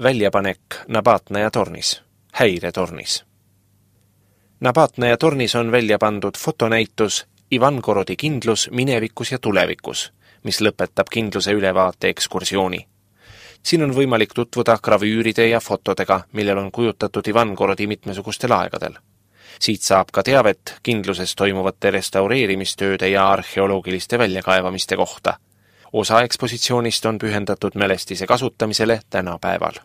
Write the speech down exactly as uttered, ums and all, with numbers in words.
Väljapanek Nabatnaja tornis, häiretornis. Nabatnaja tornis on välja pandud fotonäitus Ivangorodi kindlus minevikus ja tulevikus, mis lõpetab kindluse ülevaate ekskursiooni. Siin on võimalik tutvuda gravüüride ja fotodega, millel on kujutatud Ivangorodi mitmesugustel aegadel. Siit saab ka teavet kindluses toimuvate restaureerimistööde ja arheoloogiliste väljakaevamiste kohta. Osa ekspositsioonist on pühendatud mälestise kasutamisele tänapäeval.